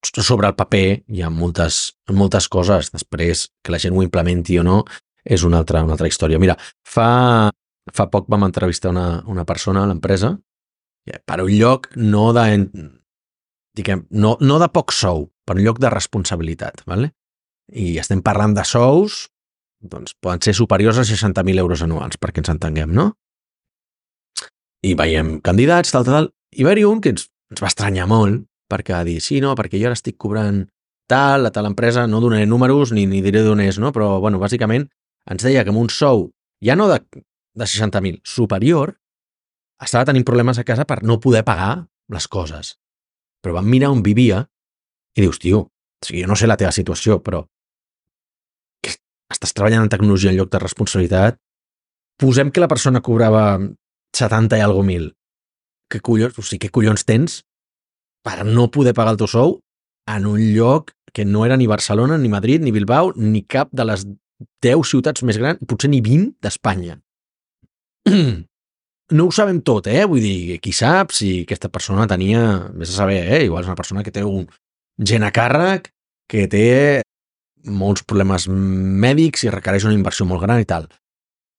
sobre el paper hi ha moltes, moltes coses, després que la gent ho implementi o no és una altra, una altra història. Mira, fa, fa poc vam entrevistar una, una persona a l'empresa per un lloc no de, diguem, no, no de poc sou, per un lloc de responsabilitat, ¿vale? I estem parlant de sous, doncs poden ser superiors a seixanta mil euros anuals, perquè ens entenguem, no? I veiem candidats, tal, tal, tal, i va haver-hi un que ens, ens va estranyar molt, perquè va dir, sí, no, perquè jo ara estic cobrant tal, a tal empresa, no donaré números ni, ni diré d'on és, no? Però, bueno, bàsicament ens deia que amb un sou, ja no de, de seixanta mil, superior, estava tenint problemes a casa per no poder pagar les coses. Però vam mirar on vivia i dius, tio, o sigui, jo no sé la teva situació, però que estàs treballant en tecnologia en lloc de responsabilitat, posem que la persona cobrava setanta i algo mil. Que collons, o sigui, què collons tens per no poder pagar el teu sou en un lloc que no era ni Barcelona, ni Madrid, ni Bilbao, ni cap de les deu ciutats més grans, potser ni vint d'Espanya. No ho sabem tot, eh? Vull dir, qui sap si aquesta persona tenia, vés a saber, eh? Igual és una persona que té un gent a càrrec, que té molts problemes mèdics i requereix una inversió molt gran i tal.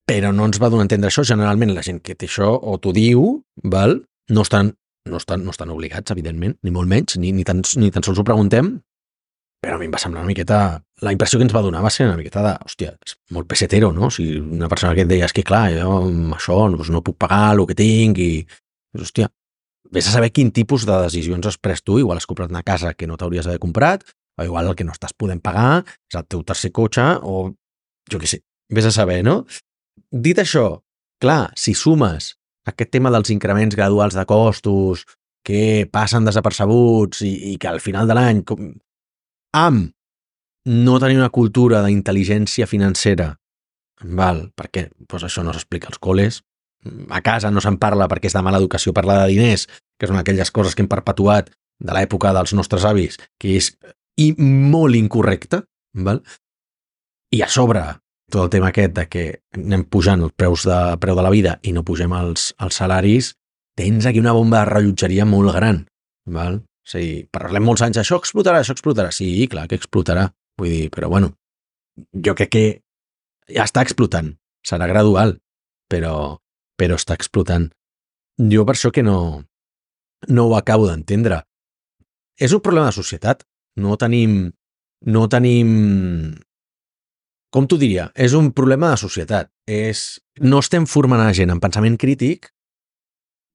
Però no ens va donar a entendre això. Generalment la gent que té això o t'ho diu, val? No estan No estan, no estan obligats, evidentment, ni molt menys, ni, ni, tan, ni tan sols ho preguntem, però a mi em va semblar una miqueta... La impressió que ens va donar va ser una miqueta de, hòstia, és molt pesetero, no? O sigui, una persona que et deia, és que clar, jo amb això doncs no puc pagar el que tinc i... Doncs, hòstia, vés a saber quin tipus de decisions has pres tu, igual has comprat una casa que no t'hauries d'haver comprat, o igual el que no estàs podent pagar és el teu tercer cotxe, o jo què sé, vés a saber, no? Dit això, clar, si sumes aquest tema dels increments graduals de costos que passen desapercebuts i, i que al final de l'any com, amb no tenir una cultura d'intel·ligència financera, val, perquè doncs això no s'explica als col·les, a casa no se'n parla perquè és de mala educació parlar de diners, que són aquelles coses que hem perpetuat de l'època dels nostres avis, que és i molt incorrecte, val? I a sobre tot el tema aquest de que anem pujant els preus de, preu de la vida i no pugem els, els salaris, tens aquí una bomba de rellotgeria molt gran, val? O sigui, parlem molts anys, això explotarà, això explotarà. Sí, clar que explotarà, vull dir, però bueno, jo crec que ja està explotant, serà gradual, però, però està explotant. Jo per això que no, no ho acabo d'entendre. És un problema de societat, no tenim, no tenim, com t'ho diria, és un problema de societat, és, no estem formant a la gent en pensament crític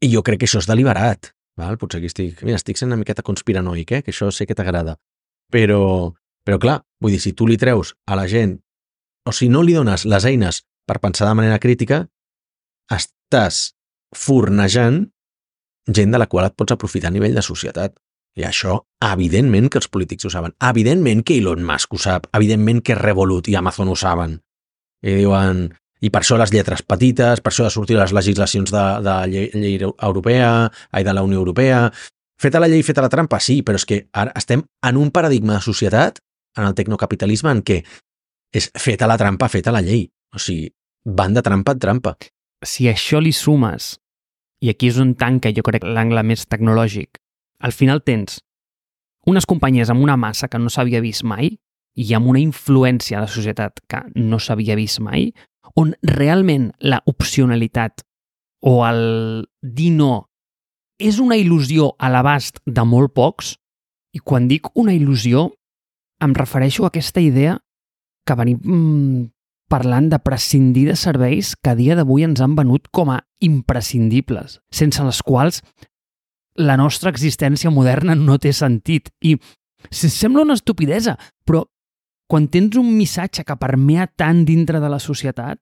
i jo crec que això és deliberat. Val? Potser aquí estic, mira, estic sent una miqueta conspiranoic, eh? Que això sé que t'agrada. Però, però clar, vull dir, si tu li treus a la gent, o si no li dones les eines per pensar de manera crítica, estàs fornejant gent de la qual et pots aprofitar a nivell de societat. I això, evidentment que els polítics ho saben, evidentment que Elon Musk ho sap, evidentment que Revolut i Amazon ho saben. I diuen... I per això les lletres petites, per això de sortir les legislacions de, de llei, llei europea, ai, de la Unió Europea. Feta la llei, feta la trampa, sí, però és que ara estem en un paradigma de societat, en el tecnocapitalisme, en què és feta la trampa, feta la llei. O sigui, van de trampa en trampa. Si això li sumes, i aquí és on tanca, jo crec, l'angle més tecnològic, al final tens unes companyies amb una massa que no s'havia vist mai i amb una influència a la societat que no s'havia vist mai, on realment la opcionalitat o el dir no és una il·lusió a l'abast de molt pocs, i quan dic una il·lusió em refereixo a aquesta idea que venim mm, parlant de prescindir de serveis que a dia d'avui ens han venut com a imprescindibles, sense les quals la nostra existència moderna no té sentit. I sembla una estupidesa, però quan tens un missatge que permea tant dintre de la societat,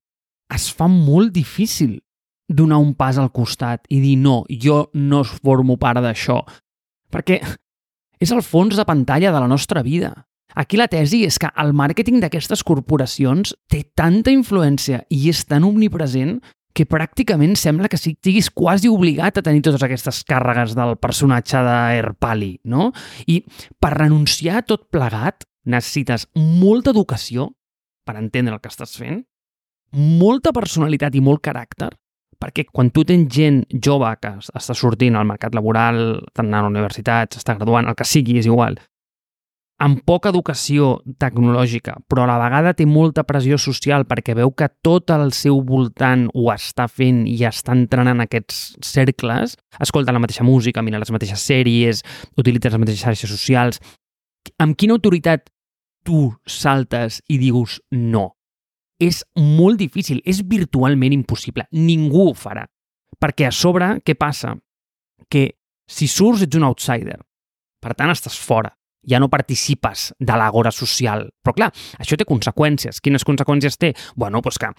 es fa molt difícil donar un pas al costat i dir no, jo no formo part d'això. Perquè és el fons de pantalla de la nostra vida. Aquí la tesi és que el màrqueting d'aquestes corporacions té tanta influència i és tan omnipresent que pràcticament sembla que siguis quasi obligat a tenir totes aquestes càrregues del personatge d'Herpali, no? I per renunciar a tot plegat necessites molta educació per entendre el que estàs fent, molta personalitat i molt caràcter, perquè quan tu tens gent jove que està sortint al mercat laboral, està anant a la universitat, s'està graduant, el que sigui, és igual, amb poca educació tecnològica, però a la vegada té molta pressió social perquè veu que tot el seu voltant ho està fent i està entrenant en aquests cercles, escolta la mateixa música, mira les mateixes sèries, utilitza les mateixes xarxes socials. Amb quina autoritat tu saltes i dius no? És molt difícil, és virtualment impossible. Ningú ho farà. Perquè a sobre, què passa? Que si surts ets un outsider. Per tant, estàs fora. Ja no participes de l'agora social. Però clar, això té conseqüències. Quines conseqüències té? Bueno, doncs que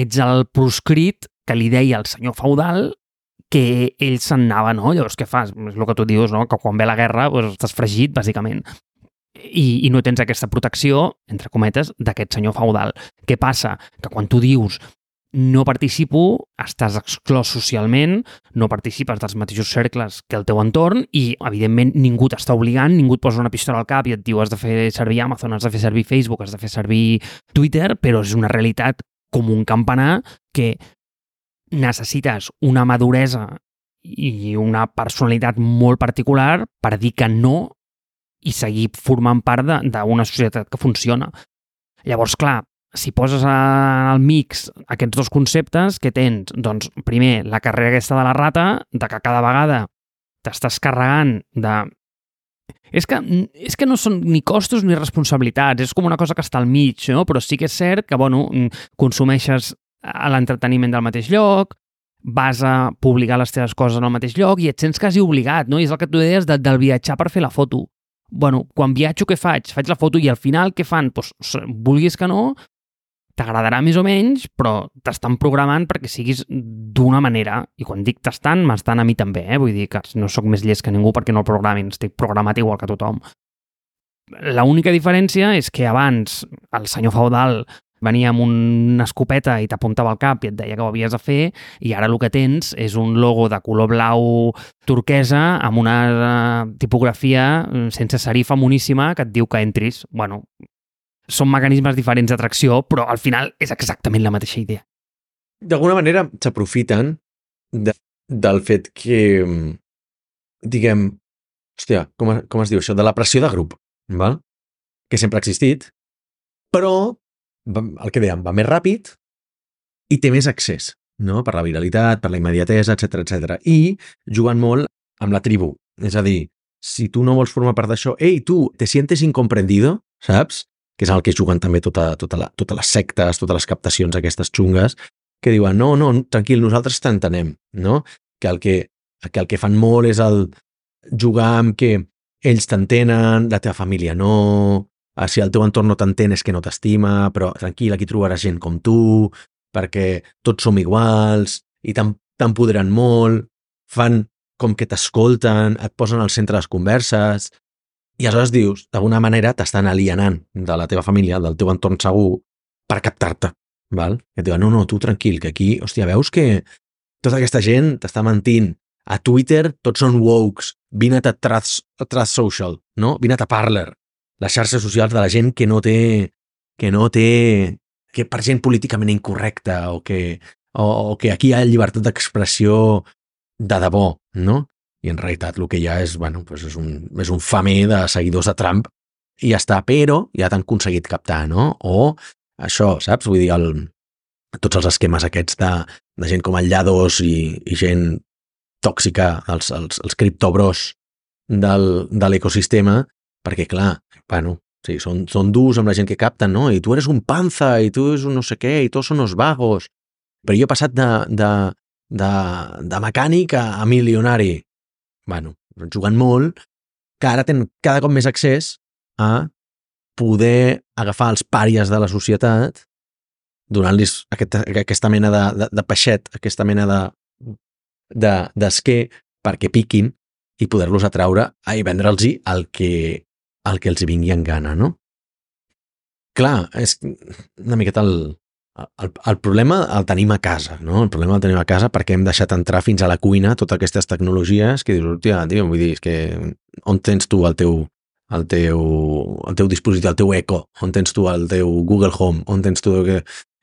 ets el proscrit que li deia el senyor feudal que ell se'n anava, no? Llavors, què fas? És el que tu dius, no? Que quan ve la guerra doncs estàs fregit, bàsicament. I, i no tens aquesta protecció, entre cometes, d'aquest senyor feudal. Què passa? Que quan tu dius no participo, estàs exclòs socialment, no participes dels mateixos cercles que el teu entorn i, evidentment, ningú t'està obligant, ningú et posa una pistola al cap i et diu has de fer servir Amazon, has de fer servir Facebook, has de fer servir Twitter, però és una realitat com un campanar que necessites una maduresa i una personalitat molt particular per dir que no i seguir formant part d'una societat que funciona. Llavors, clar, si poses al mix aquests dos conceptes, què tens? Doncs, primer, la carrera aquesta de la rata, de que cada vegada t'estàs carregant de... És que, és que no són ni costos ni responsabilitats, és com una cosa que està al mig, no? Però sí que és cert que, bueno, consumeixes l'entreteniment del mateix lloc, vas a publicar les teves coses en el mateix lloc i et sents quasi obligat, no? I és el que tu deies de, del viatjar per fer la foto. Bueno, quan viatjo, què faig? Faig la foto i al final què fan? Pues, vulguis que no, t'agradarà més o menys, però t'estan programant perquè siguis d'una manera. I quan dic t'estan, m'estan a mi també, eh? Vull dir que no sóc més llest que ningú perquè no el programin, estic programat igual que tothom. L'única diferència és que abans el senyor feudal venia amb una escopeta i t'apuntava al cap i et deia que ho havies de fer, i ara el que tens és un logo de color blau turquesa amb una tipografia sense serifa moníssima que et diu que entris. Bueno, són mecanismes diferents d'atracció, però al final és exactament la mateixa idea. D'alguna manera s'aprofiten de, del fet que, diguem, hòstia, com, com es diu això? De la pressió de grup, val? Que sempre ha existit, però el que dèiem, va més ràpid i té més accés, no? Per la viralitat, per la immediatesa, etcètera, etcètera. I jugant molt amb la tribu. És a dir, si tu no vols formar part d'això, ei, tu, te sientes incomprendido, saps? Que és el que juguen també tota, tota la, totes les sectes, totes les captacions aquestes xungues, que diuen, no, no, tranquil, nosaltres t'entenem, no? Que el que, que el que fan molt és el jugar amb que ells t'entenen, la teva família no, si el teu entorn no t'entén és que no t'estima, però tranquil, aquí trobaràs gent com tu, perquè tots som iguals, i t'empoderen molt, fan com que t'escolten, et posen al centre de les converses, i aleshores dius, d'alguna manera t'estan alienant de la teva família, del teu entorn segur, per captar-te. Val? Que et diuen, no, no, tu tranquil, que aquí, hòstia, veus que tota aquesta gent t'està mentint. A Twitter tots són wokes, vine a Trust, a Trust Social, no? Vine a Parler, les xarxes socials de la gent que no té, que no té, que per gent políticament incorrecta o que, o, o que aquí hi ha llibertat d'expressió de debò, no? I en realitat el que hi ha és, bueno, pues és, un, és un famer de seguidors de Trump i ja està, però ja t'han aconseguit captar, no? O això, saps? Vull dir, el, tots els esquemes aquests de, de gent com el Llados i, i gent tòxica, els, els, els criptobros del, de l'ecosistema, perquè, clar, bueno, sí, són, són durs amb la gent que capten, no? I tu eres un panza, i tu eres un no sé què, i tots són uns vagos. Però jo he passat de, de, de, de mecànic a, a milionari. Bueno, jugant molt, que ara tenen cada cop més accés a poder agafar els pàries de la societat donant-los aquesta, aquesta mena de, de, de peixet, aquesta mena de d'esquer de, perquè piquin i poder-los atraure i vendre'ls el que, el que els vingui en gana, no? Clar, és una miqueta el, el, el problema el tenim a casa, no? El problema el tenim a casa perquè hem deixat entrar fins a la cuina totes aquestes tecnologies que dius, hòstia, tio, vull dir, és que on tens tu el teu el teu, el teu dispositiu, el teu Echo, on tens tu el teu Google Home, on tens tu...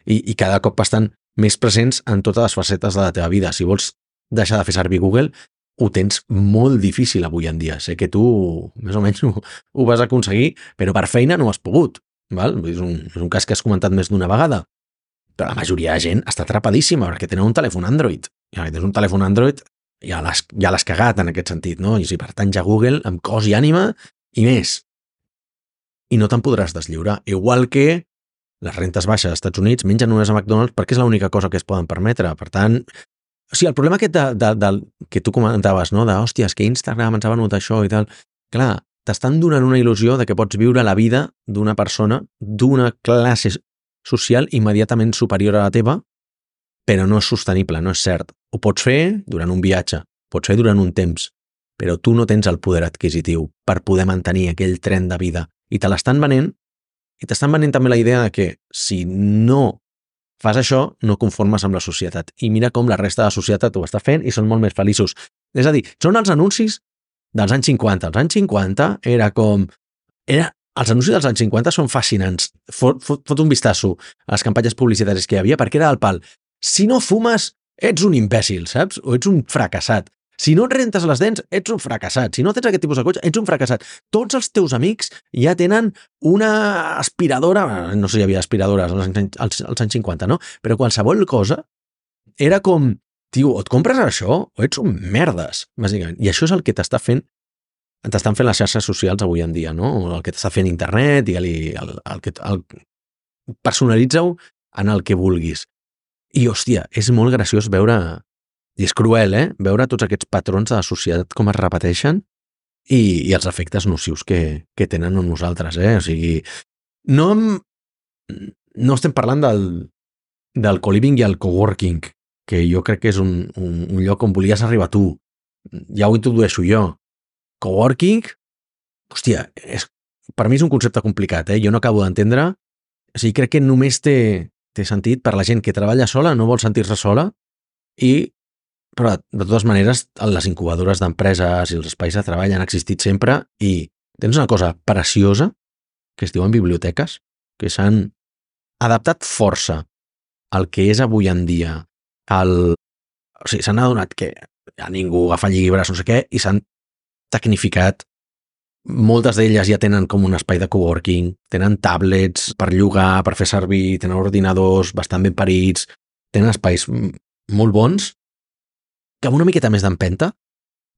I, i cada cop estan més presents en totes les facetes de la teva vida. Si vols deixar de fer servir Google, ho tens molt difícil avui en dia. Sé que tu més o menys ho, ho vas aconseguir, però per feina no has pogut. Val? És, un, és un cas que has comentat més d'una vegada. Però la majoria de gent està atrapadíssima perquè tenen un telèfon Android. I si tens un telèfon Android, ja l'has, ja l'has cagat en aquest sentit, no? I si pertanys a Google, amb cos i ànima, i més. I no te'n podràs deslliurar. Igual que les rentes baixes als Estats Units mengen només a McDonald's perquè és l'única cosa que es poden permetre. Per tant, o sigui, el problema aquest de, de, de, que tu comentaves, no? De, hòstia, és que Instagram ens ha venut això i tal. Clar, t'estan donant una il·lusió de que pots viure la vida d'una persona d'una classe social immediatament superior a la teva, però no és sostenible, no és cert. Ho pots fer durant un viatge, pots fer durant un temps, però tu no tens el poder adquisitiu per poder mantenir aquell tren de vida. I te l'estan venent, i t'estan venent també la idea de que si no fas això, no conformes amb la societat. I mira com la resta de la societat ho està fent i són molt més feliços. És a dir, són els anuncis dels anys cinquanta. Els anys cinquanta era com... Era... Els anuncis dels anys cinquanta són fascinants. Fot, fot, fot un vistazo a les campanyes publicitàries que hi havia, perquè era el pal. Si no fumes, ets un imbècil, saps? O ets un fracassat. Si no et rentes les dents, ets un fracassat. Si no tens aquest tipus de cotxe, ets un fracassat. Tots els teus amics ja tenen una aspiradora, no sé si hi havia aspiradores als anys, als, als anys cinquanta, no? Però qualsevol cosa era com, tio, o et compres això o ets un merdes, bàsicament. I això és el que t'està fent, t'estan fent les xarxes socials avui en dia, no? El que t'està fent internet, digue-li, el, el que, el, personalitza-ho en el que vulguis. I, hòstia, és molt graciós veure... I és cruel, eh? Veure tots aquests patrons de la societat com es repeteixen i, i els efectes nocius que, que tenen en nosaltres, eh? O sigui, no, no estem parlant del, del co-living i el coworking, que jo crec que és un, un, un lloc on volies arribar tu. Ja ho introdueixo jo. Coworking, hòstia, és, per mi és un concepte complicat, eh? Jo no acabo d'entendre O sigui, crec que només té, té sentit per la gent que treballa sola, no vol sentir-se sola, i, però de totes maneres les incubadores d'empreses i els espais de treball han existit sempre i tens una cosa preciosa que es diuen biblioteques, que s'han adaptat força al que és avui en dia el... O sigui, s'han adonat que a ningú agafa llibres, no sé què, i s'han tecnificat. Moltes d'elles ja tenen com un espai de coworking, tenen tablets per llogar, per fer servir, tenen ordinadors bastant ben parits, tenen espais molt bons que amb una miqueta més d'empenta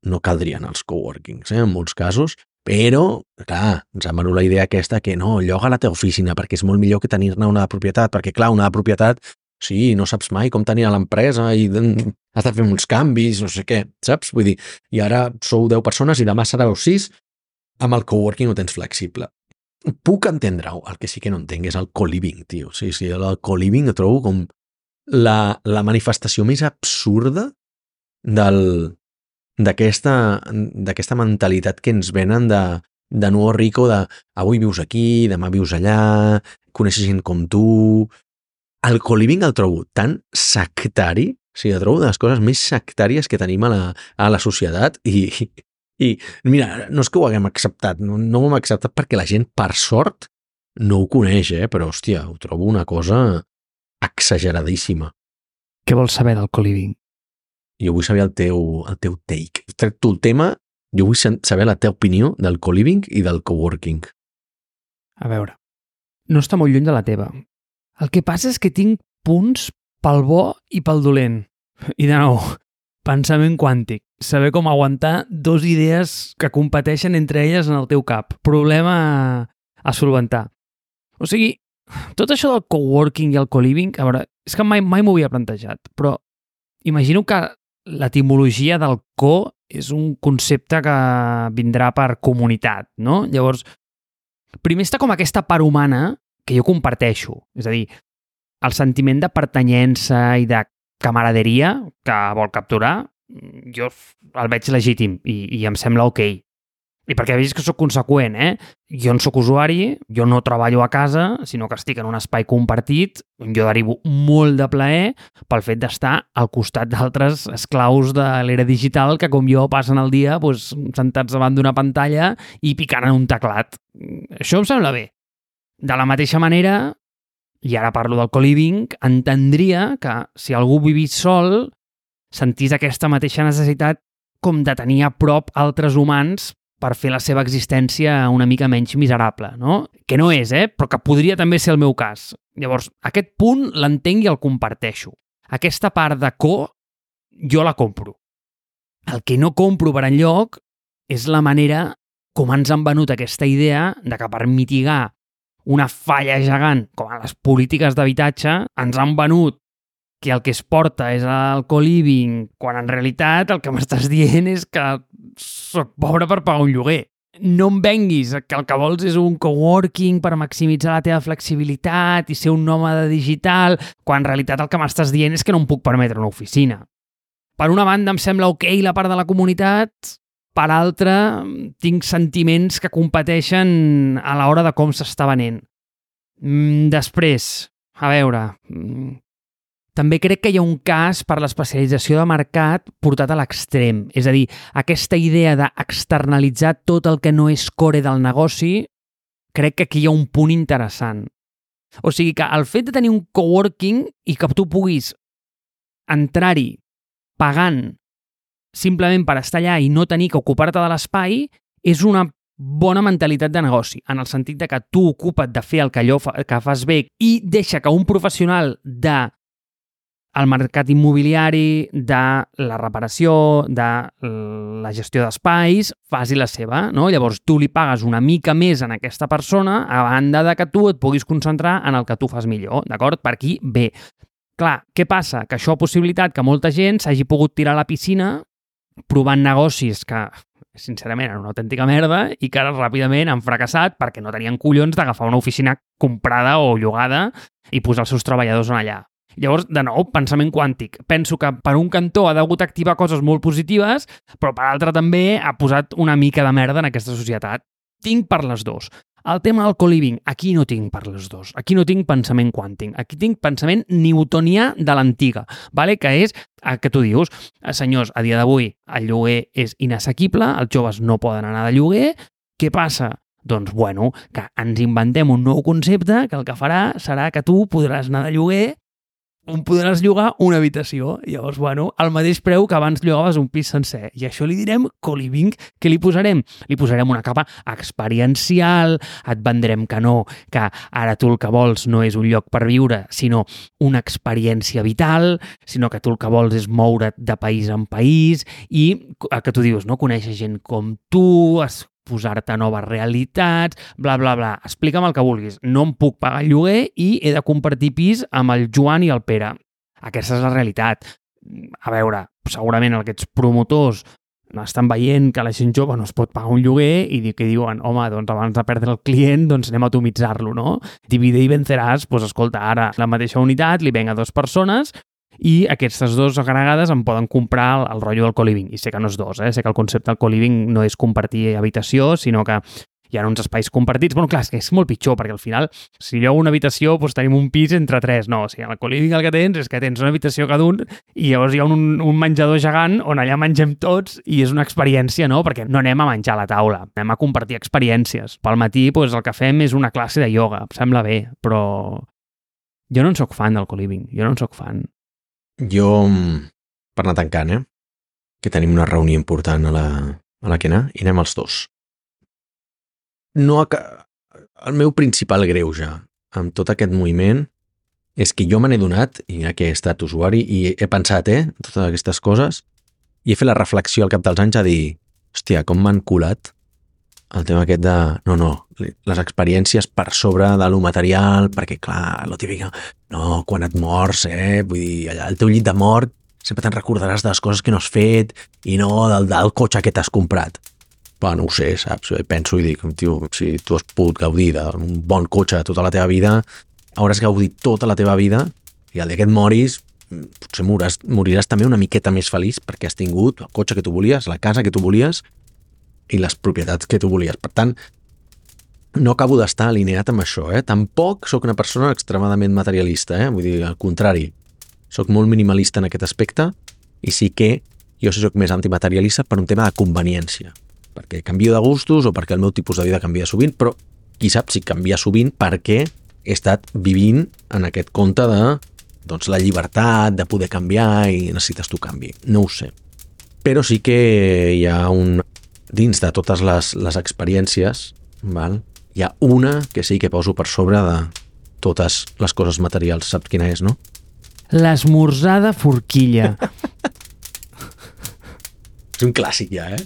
no caldrien els coworkings, eh, en molts casos, però, clar, ens ha venut la idea aquesta que no, lloga la teva oficina perquè és molt millor que tenir-ne una de propietat, perquè, clar, una de propietat, sí, no saps mai com tenir a l'empresa i has de fer uns canvis, no sé què, saps? Vull dir, i ara sou deu persones i demà sereu sis, amb el coworking ho tens flexible. Puc entendre-ho, el que sí que no entenc és el co-living, tio. Sí, sí, el co-living ho trobo com la, la manifestació més absurda del... d'aquesta d'aquesta mentalitat que ens venen de, de nuevo rico, de avui vius aquí, demà vius allà, coneixes gent com tu. El co-living el trobo tan sectari, o sigui, el trobo de les coses més sectàries que tenim a la, a la societat i, i mira, no és que ho haguem acceptat, no, no ho hem acceptat perquè la gent, per sort, no ho coneix, eh? Però, hòstia, ho trobo una cosa exageradíssima. Què vols saber del co-living? Jo vull saber el teu, el teu take. Tret tu el tema, jo vull saber la teva opinió del co-living i del coworking. A veure, no està molt lluny de la teva. El que passa és que tinc punts pel bo i pel dolent. I de nou, pensament quàntic. Saber com aguantar dos idees que competeixen entre elles en el teu cap. Problema a, a solventar. O sigui, tot això del coworking i el co-living, a veure, és que mai, mai m'ho havia plantejat, però imagino que l'etimologia del co és un concepte que vindrà per comunitat, no? Llavors, primer està com aquesta part humana que jo comparteixo, és a dir, el sentiment de pertanyença i de camaraderia que vol capturar, jo el veig legítim i, i em sembla ok. I perquè veig que soc conseqüent, eh? Jo no soc usuari, jo no treballo a casa, sinó que estic en un espai compartit, jo derivo molt de plaer pel fet d'estar al costat d'altres esclaus de l'era digital que, com jo, passen el dia doncs, sentats davant d'una pantalla i picant en un teclat. Això em sembla bé. De la mateixa manera, i ara parlo del co-living, entendria que si algú vivís sol, sentís aquesta mateixa necessitat com de tenir a prop altres humans per fer la seva existència una mica menys miserable, no? Que no és, eh? Però que podria també ser el meu cas. Llavors, aquest punt l'entenc i el comparteixo. Aquesta part de co, jo la compro. El que no compro per enlloc és la manera com ens han venut aquesta idea de que per mitigar una falla gegant com a les polítiques d'habitatge ens han venut que el que es porta és el co-living, quan en realitat el que m'estàs dient és que soc pobre per pagar un lloguer. No em venguis que el que vols és un coworking per maximitzar la teva flexibilitat i ser un nòmada digital, quan en realitat el que m'estàs dient és que no em puc permetre una oficina. Per una banda em sembla ok la part de la comunitat, per altra tinc sentiments que competeixen a l'hora de com s'està venent. Després, a veure... També crec que hi ha un cas per l'especialització de mercat portat a l'extrem. És a dir, aquesta idea d'externalitzar tot el que no és core del negoci, crec que aquí hi ha un punt interessant. O sigui que el fet de tenir un coworking i que tu puguis entrar-hi pagant simplement per estar allà i no tenir que ocupar-te de l'espai és una bona mentalitat de negoci, en el sentit de que tu ocupa't de fer el que allò fa, que fas bé i deixa que un professional de el mercat immobiliari, de la reparació, de la gestió d'espais, faci la seva, no? Llavors tu li pagues una mica més a aquesta persona a banda de que tu et puguis concentrar en el que tu fas millor, d'acord? Per aquí, bé. Clar, què passa? Que això ha possibilitat que molta gent s'hagi pogut tirar a la piscina provant negocis que, sincerament, eren una autèntica merda i que ara ràpidament han fracassat perquè no tenien collons d'agafar una oficina comprada o llogada i posar els seus treballadors en allà. Llavors, de nou, pensament quàntic. Penso que per un cantó ha degut activar coses molt positives, però per altre també ha posat una mica de merda en aquesta societat. Tinc per les dos. El tema del co-living, aquí no tinc per les dos. Aquí no tinc pensament quàntic. Aquí tinc pensament newtonià de l'antiga, vale? Que és el que tu dius, senyors, a dia d'avui el lloguer és inassequible, els joves no poden anar de lloguer, què passa? Doncs, bueno, que ens inventem un nou concepte que el que farà serà que tu podràs anar de lloguer on podràs llogar una habitació. Llavors, bueno, al mateix preu que abans llogaves un pis sencer. I això li direm co-living. Què li posarem? Li posarem una capa experiencial, et vendrem que no, que ara tu el que vols no és un lloc per viure, sinó una experiència vital, sinó que tu el que vols és moure't de país en país i, el que tu dius, no? Conèixer gent com tu, es posar-te noves realitats, bla, bla, bla. Explica'm el que vulguis. No em puc pagar el lloguer i he de compartir pis amb el Joan i el Pere. Aquesta és la realitat. A veure, segurament aquests promotors estan veient que la gent jove no es pot pagar un lloguer i que diuen, home, doncs abans de perdre el client, doncs anem a atomitzar-lo, no? Divide i venceràs, doncs escolta, ara la mateixa unitat li ven a dues persones i aquestes dues agregades em poden comprar el, el rotllo del co-living. I sé que no és dos, eh? Sé que el concepte del co-living no és compartir habitació, sinó que hi ha uns espais compartits. Bueno, clar, és que és molt pitjor, perquè al final, si llogo una habitació, doncs tenim un pis entre tres. No, o sigui, el co-living el que tens és que tens una habitació cada un i llavors hi ha un, un menjador gegant on allà mengem tots i és una experiència, no? Perquè no anem a menjar a la taula, anem a compartir experiències. Pel matí, doncs, el que fem és una classe de ioga. Em sembla bé, però jo no en soc fan del co-living. Jo no en soc fan. Jo, per anar tancant, eh? Que tenim una reunió important a la, a la que anar i anem els dos. No, el meu principal greuge amb tot aquest moviment és que jo me n'he donat, i mira que he estat usuari, i he pensat, eh, totes aquestes coses, i he fet la reflexió al cap dels anys a dir, hòstia, com m'han colat el tema aquest de, no, no, les experiències per sobre de lo material, perquè, clar, lo típic, no, quan et mors, eh, vull dir, allà al teu llit de mort sempre te'n recordaràs de les coses que no has fet i no del, del cotxe que t'has comprat. Però no ho sé, saps? Penso i dic, tio, si tu has pogut gaudir d'un bon cotxe tota la teva vida, hauràs gaudit tota la teva vida i el dia que et moris potser moriràs, moriràs també una miqueta més feliç perquè has tingut el cotxe que tu volies, la casa que tu volies i les propietats que tu volies. Per tant, no acabo d'estar alineat amb això, eh? Tampoc sóc una persona extremadament materialista, eh? Vull dir, al contrari, sóc molt minimalista en aquest aspecte i sí que jo sí sóc més antimaterialista per un tema de conveniència, perquè canvio de gustos o perquè el meu tipus de vida canvia sovint, però qui sap si canvia sovint perquè he estat vivint en aquest conte de doncs, la llibertat, de poder canviar i necessites tu canvi. No ho sé. Però sí que hi ha un... Dins de totes les, les experiències, val? Hi ha una que sí que poso per sobre de totes les coses materials. Saps quina és, no? L'esmorzar de forquilla. És un clàssic ja, eh?